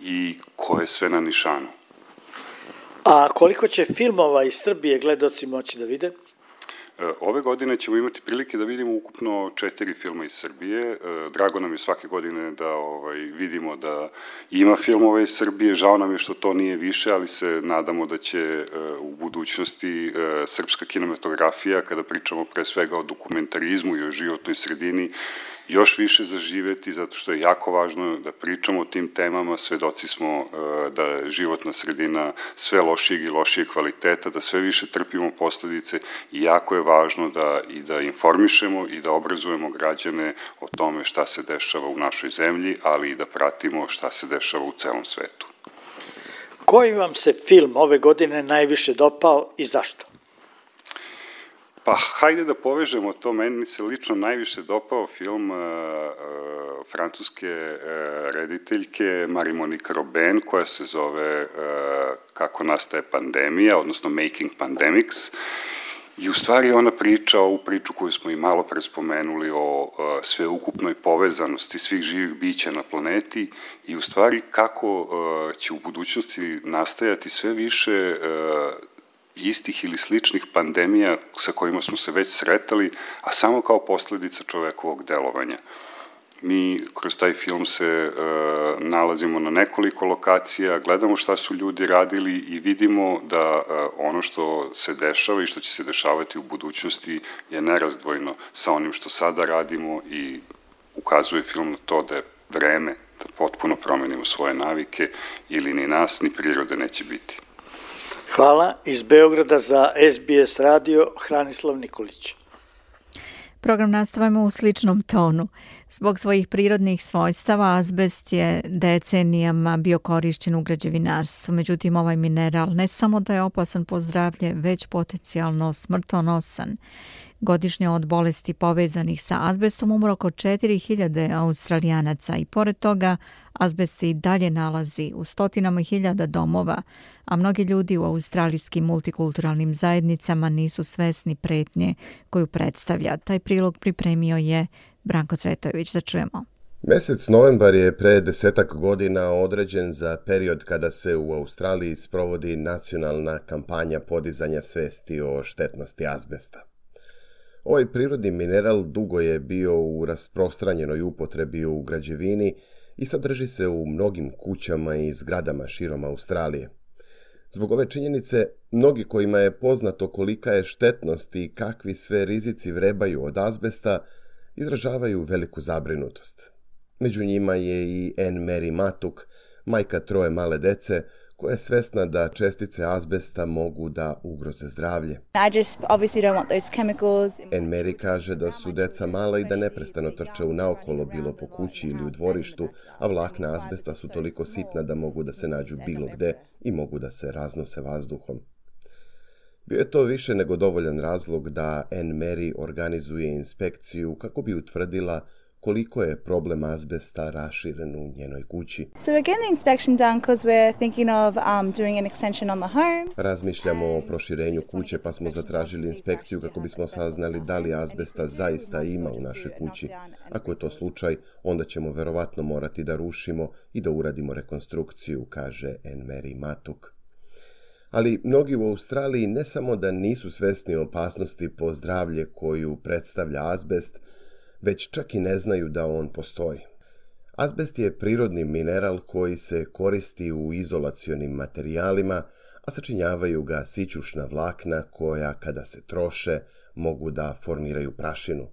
Speaker 8: i ko je sve na nišanu.
Speaker 7: A koliko će filmova iz Srbije gledaoci moći da vide?
Speaker 8: Ove godine ćemo imati prilike da vidimo ukupno 4 filma iz Srbije. Drago nam je svake godine da vidimo da ima filmova iz Srbije. Žao nam je što to nije više, ali se nadamo da će u budućnosti srpska kinematografija, kada pričamo pre svega o dokumentarizmu i o životnoj sredini, još više zaživeti, zato što je jako važno da pričamo o tim temama. Svedoci smo da je životna sredina sve lošijeg i lošijeg kvaliteta, da sve više trpimo posledice, i jako je važno da informišemo i da obrazujemo građane o tome šta se dešava u našoj zemlji, ali i da pratimo šta se dešava u celom svetu.
Speaker 7: Koji vam se film ove godine najviše dopao i zašto?
Speaker 8: Pa, hajde da povežemo to. Meni se lično najviše dopao film francuske rediteljke Marie-Monique Robin, koja se zove Kako nastaje pandemija, odnosno Making Pandemics. I u stvari ona priča ovu priču koju smo i malo pre spomenuli o sveukupnoj povezanosti svih živih bića na planeti, i u stvari kako će u budućnosti nastajati sve više istih ili sličnih pandemija sa kojima smo se već sretali, a samo kao posledica čovekovog delovanja. Mi kroz taj film se nalazimo na nekoliko lokacija, gledamo šta su ljudi radili i vidimo da ono što se dešava i što će se dešavati u budućnosti je nerazdvojno sa onim što sada radimo, i ukazuje film na to da je vreme da potpuno promenimo svoje navike, ili ni nas ni prirode neće biti.
Speaker 7: Hvala. Iz Beograda za SBS radio, Hranislav Nikolić.
Speaker 1: Program nastavljamo u sličnom tonu. Zbog svojih prirodnih svojstava azbest je decenijama bio korišćen u građevinarstvu. Međutim, ovaj mineral ne samo da je opasan po zdravlje, već potencijalno smrtonosan. Godišnje od bolesti povezanih sa azbestom umre oko 4000 Australijanaca i pored toga azbest se i dalje nalazi u stotinama hiljada domova, a mnogi ljudi u australijskim multikulturalnim zajednicama nisu svesni pretnje koju predstavlja. Taj prilog pripremio je Branko Cvetojević, da čujemo.
Speaker 5: Mesec novembar je pre 10 godina određen za period kada se u Australiji sprovodi nacionalna kampanja podizanja svesti o štetnosti azbesta. Ovaj prirodni mineral dugo je bio u rasprostranjenoj upotrebi u građevini i sadrži se u mnogim kućama i zgradama širom Australije. Zbog ove činjenice, mnogi kojima je poznato kolika je štetnost i kakvi sve rizici vrebaju od azbesta, izražavaju veliku zabrinutost. Među njima je i Anne Mary Matuk, majka 3 male dece, koja je svesna da čestice azbesta mogu da ugroze zdravlje. Anne Mary kaže da su deca mala i da neprestano trče u naokolo bilo po kući ili u dvorištu, a vlakna azbesta su toliko sitna da mogu da se nađu bilo gde i mogu da se raznose vazduhom. Bio je to više nego dovoljan razlog da Anne Mary organizuje inspekciju kako bi utvrdila koliko je problem azbesta raširen u njenoj kući. Razmišljamo o proširenju kuće pa smo zatražili inspekciju kako bismo saznali da li azbesta zaista ima u našoj kući. Ako je to slučaj, onda ćemo verovatno morati da rušimo i da uradimo rekonstrukciju, kaže Anne Mary Matuk. Ali mnogi u Australiji ne samo da nisu svesni opasnosti po zdravlje koju predstavlja azbest, već čak i ne znaju da on postoji. Azbest je prirodni mineral koji se koristi u izolacionim materijalima, a sačinjavaju ga sićušna vlakna koja, kada se troše, mogu da formiraju prašinu.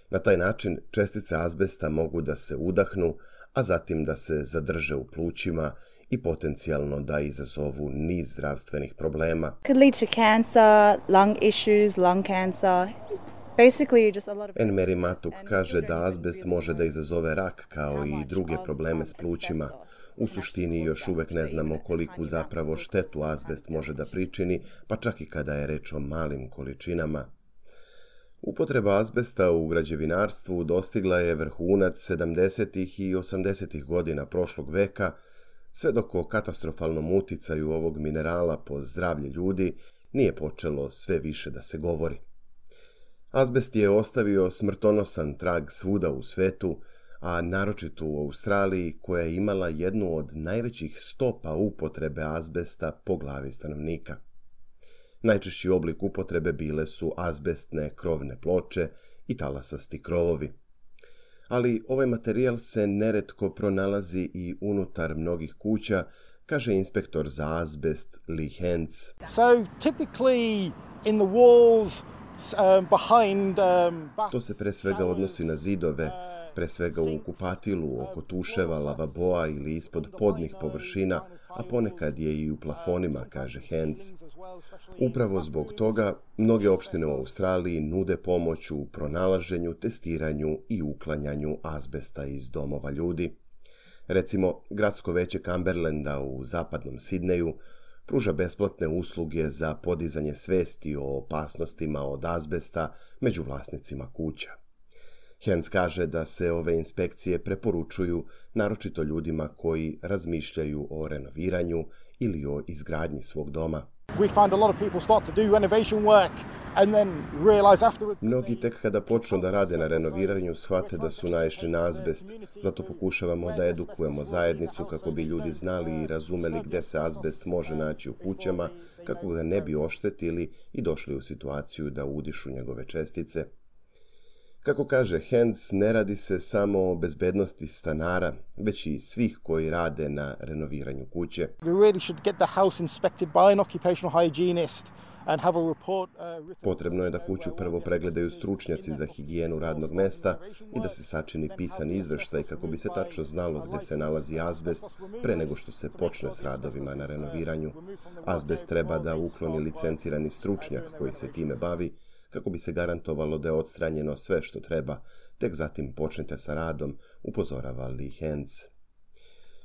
Speaker 5: Na taj način čestice azbesta mogu da se udahnu, a zatim da se zadrže u plućima i potencijalno da izazovu niz zdravstvenih problema.
Speaker 9: Could lead to cancer, lung issues, lung cancer.
Speaker 5: Anne Mary Matuk kaže da azbest može da izazove rak kao i druge probleme s plućima. U suštini još uvek ne znamo koliku zapravo štetu azbest može da pričini, pa čak i kada je reč o malim količinama. Upotreba azbesta u građevinarstvu dostigla je vrhunac 70. i 80. godina prošlog veka, sve dok o katastrofalnom uticaju ovog minerala po zdravlje ljudi nije počelo sve više da se govori. Azbest je ostavio smrtonosan trag svuda u svetu, a naročito u Australiji koja je imala jednu od najvećih stopa upotrebe azbesta po glavi stanovnika. Najčešći oblik upotrebe bile su azbestne krovne ploče i talasasti krovovi. Ali ovaj materijal se neretko pronalazi i unutar mnogih kuća, kaže inspektor za azbest Lee Hens. To se pre svega odnosi na zidove, pre svega u kupatilu, oko tuševa, lavaboa ili ispod podnih površina, a ponekad je i u plafonima, kaže Hens. Upravo zbog toga, mnoge opštine u Australiji nude pomoć u pronalaženju, testiranju i uklanjanju azbesta iz domova ljudi. Recimo, gradsko veće Cumberlanda u zapadnom Sidneju pruža besplatne usluge za podizanje svesti o opasnostima od azbesta među vlasnicima kuća. Hens kaže da se ove inspekcije preporučuju naročito ljudima koji razmišljaju o renoviranju ili o izgradnji svog doma. Mnogi tek kada počnu da rade na renoviranju shvate da su naišli na azbest, zato pokušavamo da edukujemo zajednicu kako bi ljudi znali i razumeli gde se azbest može naći u kućama, kako ga ne bi oštetili i došli u situaciju da udišu njegove čestice. Kako kaže Hens, ne radi se samo o bezbednosti stanara, već i svih koji rade na renoviranju kuće. Potrebno je da kuću prvo pregledaju stručnjaci za higijenu radnog mesta i da se sačini pisan izveštaj kako bi se tačno znalo gde se nalazi azbest pre nego što se počne s radovima na renoviranju. Azbest treba da ukloni licencirani stručnjak koji se time bavi, kako bi se garantovalo da je odstranjeno sve što treba, tek zatim počnete sa radom, upozorava Lee Hens.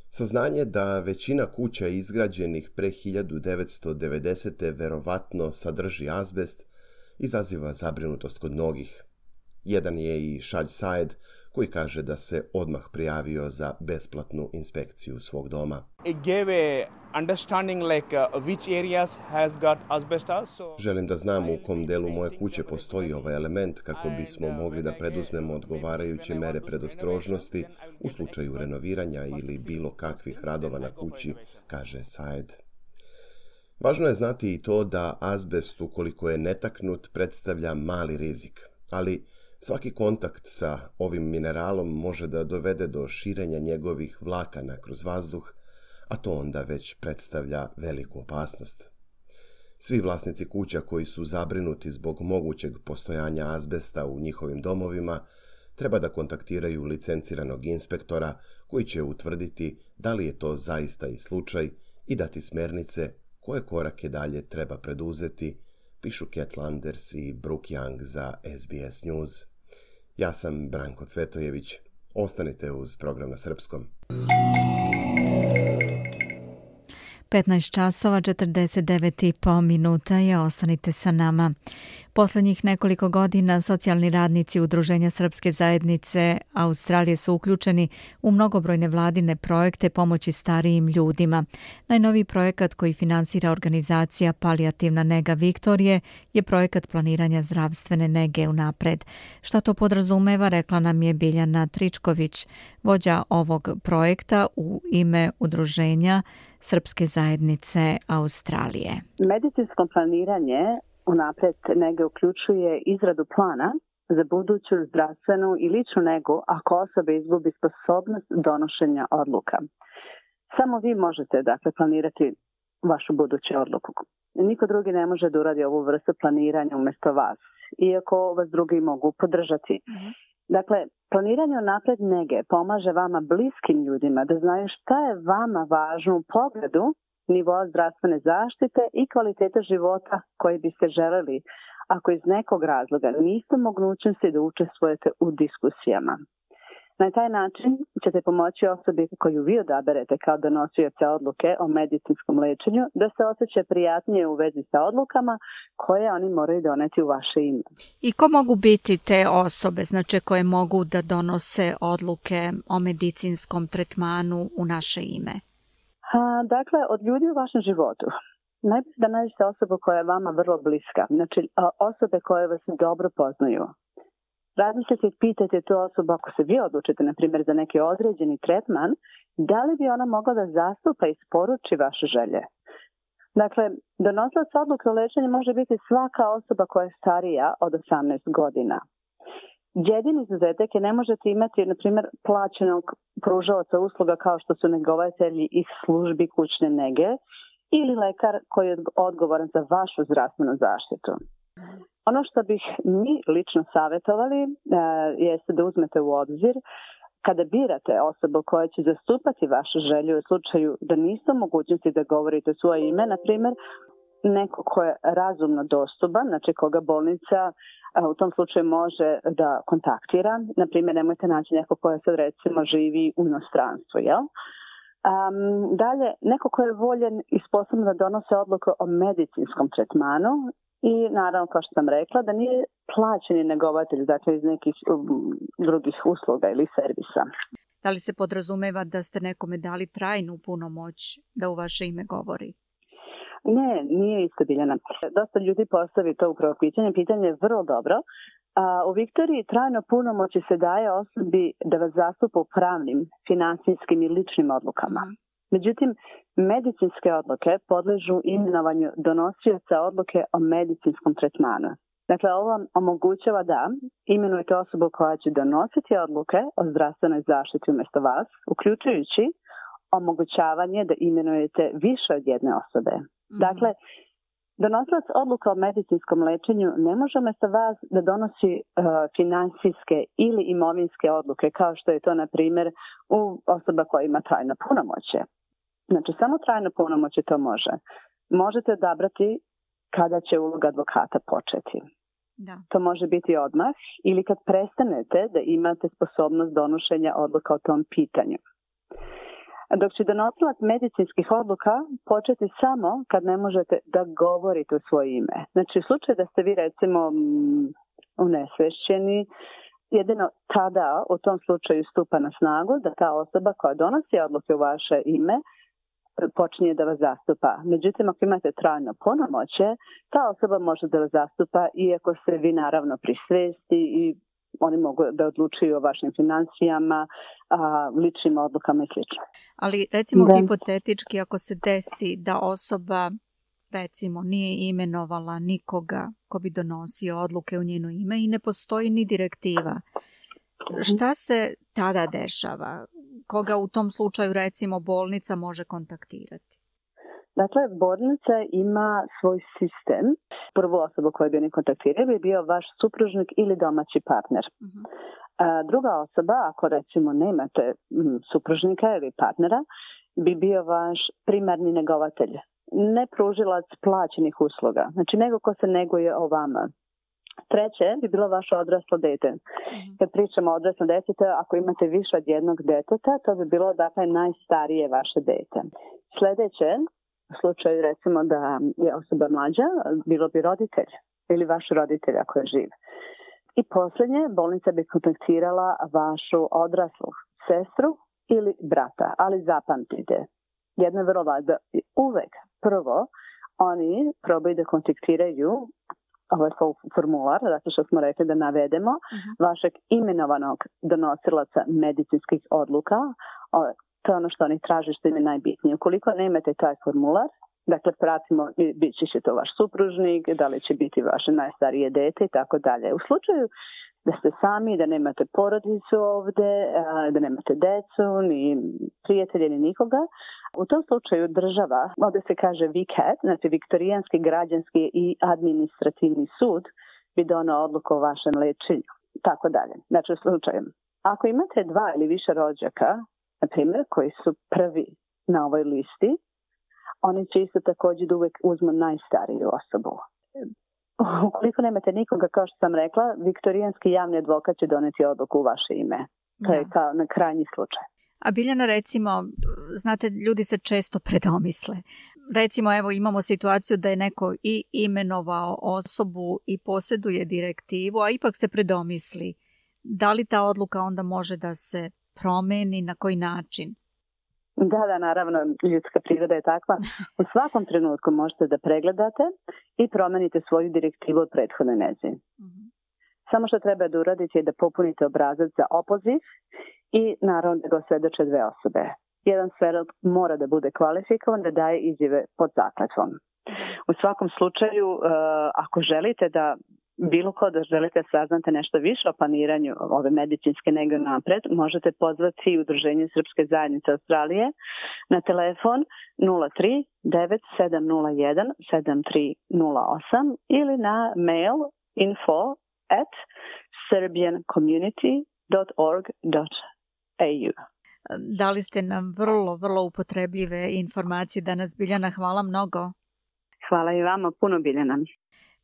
Speaker 5: Saznanje da većina kuća izgrađenih pre 1990. verovatno sadrži azbest izaziva zabrinutost kod mnogih. Jedan je i Shaj Said, koji kaže da se odmah prijavio za besplatnu inspekciju svog doma.
Speaker 10: understanding which areas has got asbestos.
Speaker 5: Želim da znam u kom delu moje kuće postoji ovaj element kako bismo mogli da preduzmemo odgovarajuće mere predostrožnosti u slučaju renoviranja ili bilo kakvih radova na kući, kaže Saed. Važno je znati i to da azbest, ukoliko je netaknut, predstavlja mali rizik, ali svaki kontakt sa ovim mineralom može da dovede do širenja njegovih vlakana kroz vazduh, a to onda već predstavlja veliku opasnost. Svi vlasnici kuća koji su zabrinuti zbog mogućeg postojanja azbesta u njihovim domovima treba da kontaktiraju licenciranog inspektora koji će utvrditi da li je to zaista i slučaj i dati smernice koje korake dalje treba preduzeti, pišu Cat Landers i Brooke Young za SBS News. Ja sam Branko Cvetojević. Ostanite uz program na srpskom.
Speaker 1: 15 časova 49,5 minuta je, ostanite sa nama. Poslednjih nekoliko godina socijalni radnici Udruženja Srpske zajednice Australije su uključeni u mnogobrojne vladine projekte pomoći starijim ljudima. Najnoviji projekat koji finansira organizacija Palijativna nega Viktorije je projekat planiranja zdravstvene nege unapred. Šta to podrazumeva, rekla nam je Biljana Tričković, vođa ovog projekta u ime Udruženja Srpske zajednice Australije.
Speaker 11: Medicinsko planiranje unapred nege uključuje izradu plana za buduću zdravstvenu i ličnu negu ako osoba izgubi sposobnost donošenja odluka. Samo vi možete planirati vašu buduću odluku. Niko drugi ne može da uradi ovu vrstu planiranja umjesto vas, iako vas drugi mogu podržati. Dakle, planiranje unapred nege pomaže vama bliskim ljudima da znaju šta je vama važno u pogledu nivoa zdravstvene zaštite i kvalitete života koji biste želeli ako iz nekog razloga niste mogućnosti da učestvujete u diskusijama. Na taj način ćete pomoći osobi koju vi odaberete kao donosioca odluke o medicinskom lečenju da se osjeća prijatnije u vezi sa odlukama koje oni moraju doneti u vaše ime.
Speaker 1: I ko mogu biti te osobe, znači koje mogu da donose odluke o medicinskom tretmanu u naše ime?
Speaker 11: Dakle, od ljudi u vašem životu. Najbolje da nađete osobu koja je vama vrlo bliska, znači osobe koje vas dobro poznaju. Razmislite i pitajte tu osobu ako se vi odlučite, na primjer, za neki određeni tretman, da li bi ona mogla da zastupa i isporuči vaše želje. Dakle, donosilac odluke o lečenju može biti svaka osoba koja je starija od 18 godina. Jedini izuzetak je ne možete imati, na primjer, plaćenog pružaoca usluga kao što su negovatelji iz službi kućne nege ili lekar koji je odgovoran za vašu zdravstvenu zaštitu. Ono što bih mi lično savjetovali jeste da uzmete u obzir kada birate osobu koja će zastupati vašu želju u slučaju da niste u mogućnosti da govorite svoje ime, na primjer, neko ko je razumno dostupan, znači koga bolnica u tom slučaju može da kontaktira. Na primjer, nemojte naći neko koja sad recimo živi u inostranstvu, jel? Dalje, neko ko je voljen i sposoban da donose odluku o medicinskom tretmanu i naravno, kao što sam rekla, da nije plaćeni negovatelj, dakle iz nekih drugih usluga ili servisa.
Speaker 1: Da li se podrazumeva da ste nekome dali trajnu punomoć da u vaše ime govori?
Speaker 11: Ne, nije isto, Biljana. Dosta ljudi postavi to upravo pitanje. Pitanje je vrlo dobro. U Viktoriji trajno punomoći se daje osobi da vas zastupa u pravnim, finansijskim i ličnim odlukama. Međutim, medicinske odluke podležu imenovanju donosioca odluke o medicinskom tretmanu. Dakle, ovo vam omogućava da imenujete osobu koja će donositi odluke o zdravstvenoj zaštiti umjesto vas, uključujući omogućavanje da imenujete više od jedne osobe. Dakle, donosilac odluka o medicinskom lečenju ne može umjesto vas da donosi finansijske ili imovinske odluke, kao što je to, na primjer, u osoba koja ima trajno punomoćje. Znači, samo trajno punomoćje to može. Možete odabrati kada će uloga advokata početi.
Speaker 1: Da.
Speaker 11: To može biti odmah ili kad prestanete da imate sposobnost donošenja odluka o tom pitanju. Dok će donosilac medicinskih odluka početi samo kad ne možete da govorite u svoje ime. Znači, u slučaju da ste vi recimo unesvešćeni, jedino tada u tom slučaju stupa na snagu da ta osoba koja donosi odluke u vaše ime počinje da vas zastupa. Međutim, ako imate trajno punomoćje, ta osoba može da vas zastupa iako ste vi naravno pri svesti i oni mogu da odlučuju o vašim financijama, ličnim odlukama i sl.
Speaker 1: Ali recimo hipotetički ako se desi da osoba recimo nije imenovala nikoga ko bi donosio odluke u njeno ime i ne postoji ni direktiva, šta se tada dešava? Koga u tom slučaju recimo bolnica može kontaktirati?
Speaker 11: Dakle, bolnica ima svoj sistem. Prvu osobu koju bi oni kontaktirali bi bio vaš supružnik ili domaći partner. Druga osoba, ako recimo nemate supružnika ili partnera, bi bio vaš primarni negovatelj. Ne pružilac plaćenih usluga, znači nego ko se neguje o vama. Treće bi bilo vaše odraslo dete. Kad pričamo o odraslom djetetu, ako imate više od jednog deteta, to bi bilo dakle najstarije vaše dete. Sljedeće, u slučaju recimo da je osoba mlađa, bilo bi roditelj ili vaš roditelj ako je živ. I posljednje, bolnica bi kontaktirala vašu odraslu sestru ili brata, ali zapamtite, jedno je vrlo važno, uvek prvo oni probaju da kontaktiraju ovaj formular, zato što smo rekli da navedemo vašeg imenovanog donosilaca medicinskih odluka. To je ono što oni traže, što im je najbitnije. Ukoliko nemate taj formular, dakle pratimo, bit će to vaš supružnik, da li će biti vaše najstarije dete i tako dalje. U slučaju da ste sami, da nemate porodicu ovde, da nemate decu, ni prijatelje, ni nikoga, u tom slučaju država, ovdje se kaže VCAT, znači Viktorijanski građanski i administrativni sud, bi donao odluku o vašem lečenju. Tako dalje. Znači u slučaju, ako imate dva ili više rođaka, na primjer, koji su prvi na ovoj listi, oni će isto također da uvijek uzmu najstariju osobu. Ukoliko nemate nikoga, kao što sam rekla, viktorijanski javni advokat će doneti odluku u vaše ime. To je kao na krajnji slučaj.
Speaker 1: A Biljana, recimo, znate, ljudi se često predomisle. Recimo, evo, imamo situaciju da je neko i imenovao osobu i posjeduje direktivu, a ipak se predomisli. Da li ta odluka onda može da se promeni, na koji način?
Speaker 11: Da, naravno, ljudska priroda je takva. U svakom trenutku možete da pregledate i promenite svoju direktivu od prethodne neđe. Samo što treba da uradite je da popunite obrazac za opoziv i naravno da ga svedoče dve osobe. Jedan svedok mora da bude kvalifikovan da daje izjave pod zakletvom. U svakom slučaju, ako želite da bilo ko da želite saznate nešto više o planiranju ove medicinske nege napred, možete pozvati Udruženje Srpske zajednice Australije na telefon 03 9701 7308 ili na mail info@serbiancommunity.org.au.
Speaker 1: Dali ste nam vrlo upotrebljive informacije danas, Biljana, hvala mnogo.
Speaker 11: Hvala i vama, puno, Biljana.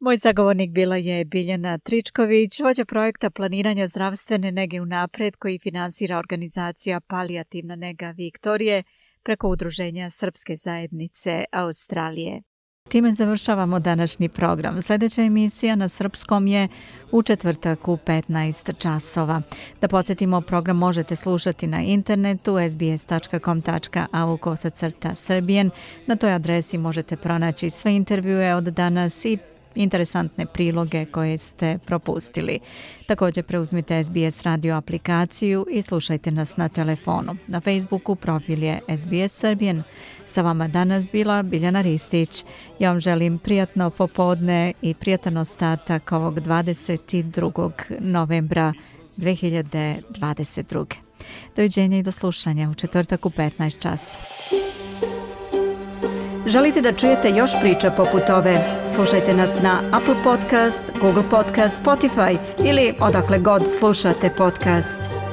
Speaker 1: Moj sagovornik bila je Biljana Tričković, vođa projekta planiranja zdravstvene nege unapred koji finansira organizacija Palijativna nega Viktorije preko Udruženja Srpske zajednice Australije. Time završavamo današnji program. Sljedeća emisija na srpskom je u četvrtak u 15 časova. Da podsjetimo, program možete slušati na internetu sbs.com.au/serbian. Na toj adresi možete pronaći sve intervjue od danas i interesantne priloge koje ste propustili. Također preuzmite SBS radio aplikaciju i slušajte nas na telefonu. Na Facebooku profil je SBS Serbian. Sa vama danas bila Biljana Ristić. Ja vam želim prijatno popodne i prijatan ostatak ovog 22. novembra 2022. Doviđenja i do slušanja u četvrtak u 15 časa. Želite da čujete još priča poput ove? Slušajte nas na Apple Podcast, Google Podcast, Spotify ili odakle god slušate podcast.